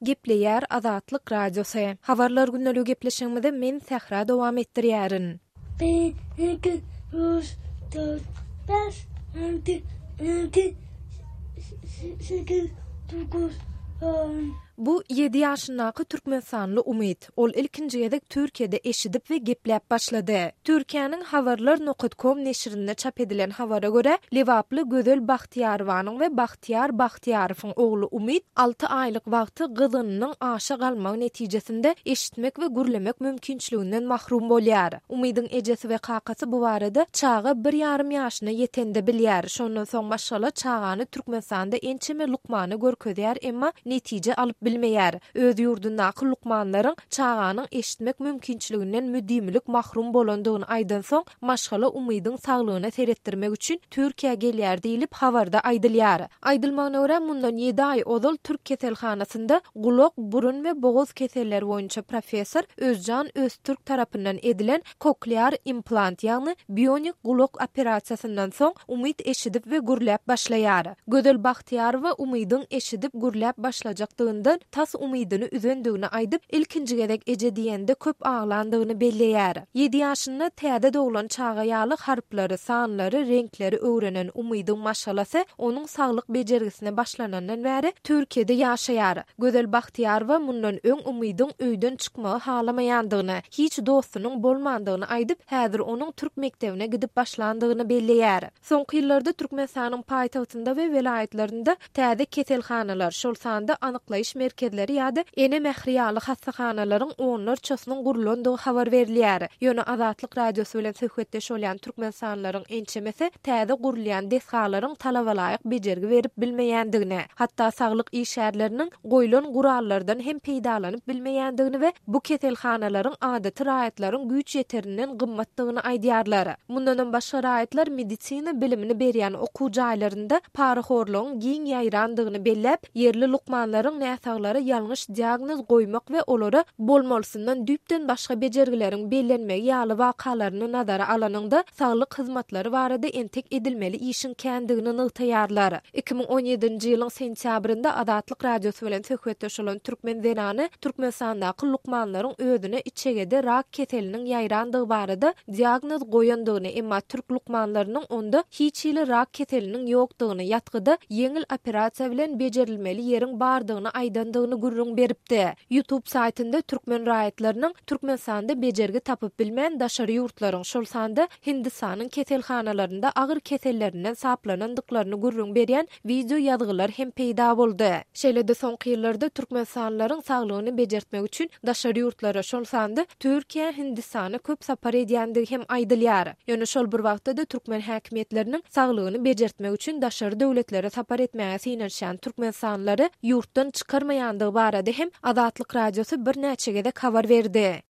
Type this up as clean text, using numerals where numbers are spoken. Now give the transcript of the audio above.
Gepleýär Azatlyk Radiosy. Habarlar gündeligi gepleşigimizi men Sähra dowam etdirýärin. Bir, iki, üç, dört, bäş, alty, ýedi, sekiz, dokuz, on. Bu ýedi ýaşyndaky türkmenistanly Umyt. Ol ilkinji gezek Türkiýede eşidip we gepläp başlady. Türkiýäniň Habarlar nokat kom neşirinde çap edilen habara görä, lebaply Gözel Bagtyýarowanyň we Bagtyýar Bagtyýarowyň ogly Umyt alty aýlyk wagty gyzgynynyň aşa galmagy netijesinde eşitmek we gürlemek mümkinçiliginden mahrum bolýar. Umydyň ejesi we kakasy bu barada çaga bir ýarym ýaşyna ýetende bilýär. Şondan soň maşgala çagany Türkmenistanda ençeme lukmana görkezýär, emma netije alyp bilmeýär. Öz ýurdundaky lukmanlaryň çaganyň eşitmek mümkinçiliginden müdimilik mahrum bolandygyny aýdansoň, maşgala Umydyň saglygyna seretdirmek üçin Türkiýä gelýär diýlip, habarda aýdylýar. Aýdylmagyna görä, mundan ýedi aý ozal türk keselhanasynda gulak, burun we bogaz keselleri boýunça professor Özjan Öztürk tarapyndan edilen koklear implant, ýagny bionik gulak operasiýasyndan soň Umyt eşidip we gürläp başlaýar. Gözel Bagtyýarowa Umydyň eşidip, gürläp başlajakdygyndan tas umydyny üzendigini aýdyp, ilkinji gezek eje diýende köp aglandygyny belleýär. Ýedi ýaşynda täze doglan çaga ýaly harplary, sanlary, reňkleri öwrenen Umydyň maşgalasy onuň saglyk bejergisine başlanandan bäri Türkiýede ýaşaýar. Gözel Bagtyýarowa mundan öň Umydyň öýden çykmagy halamaýandygyny, hiç dostunyň bolmandygyny aýdyp, häzir onuň türk mekdebine gidip başlandygyny belleýär. Soňky ýyllarda Türkmenistanyň paýtagtynda we welaýatlarynda täze keselhanalar, şol sanda anyklaýyş merkezleri ýa-da Ene mähri ýaly hassahanalaryň onlarçasynyň gurlandygy habar berilýär. Ýöne Azatlyk Radiosy bilen söhbetdeş bolýan türkmenistanlylaryň ençemesi täze gurulýan desgalaryň talabalaýyk bejergi berip bilmeýändigini, hatda saglyk işgärleriniň goýlan gurallardan hem peýdalanyp bilmeýändigini we bu keselhanalaryň adaty raýatlaryň güýç ýeterinden gymmatdygyny aýdýarlar. Mundanam başga raýatlar medisina bilimini berýän okuw jaýlarynda parahorlugyň giň ýaýrandygyny belläp, ýerli lukmanlaryň näsaglara ýalňyş diagnoz goýmak we olara bolmalysyndan düýpden başga bejergileriň bellenmegi ýaly wakalaryny nazara alanyňda, saglyk hyzmatlary barada entek edilmeli işiň kändigini nygtaýarlar. 2017-nji ýylyň sentýabrynda Azatlyk Radiosy bilen söhbetdeş bolan türkmen zenany Türkmenistandaky lukmanlaryň özüne içegede rak keseliniň ýaýrandygy barada diagnoz goýandygyny, emma türk lukmanlarynyň onda hiç hili rak keseliniň ýokdugyny, ýatgyda ýeňil operasiýa bilen bejerilmeli ýeriň bardygyny aýdandygyny gürrüň beripdi. Youtube saýtynda türkmen raýatlarynyň Türkmenistanda bejergi tapyp bilmän daşary ýurtlaryň, şol sanda Hindistanyň keselhanalarynda agyr kesellerinden saplanandyklaryny gürrüň berýän wideo ýazgylar hem peýda boldy. Şeýle-de soňky ýyllarda türkmenistanlylaryň saglygyny bejertmek üçin daşary ýurtlara, şol sanda Türkiýä, Hindistana köp sapar edýändigi hem aýdylýar. Ýöne şol bir wagtda-da türkmen häkimiýetleriniň saglygyny bejertmek üçin daşary döwletlere sapar etmäge synanyşýan türkmenistanlylary ýurtdan çykarmaýandygy barada hem Azatlyk Radiosy birnäçe gezek habar berdi.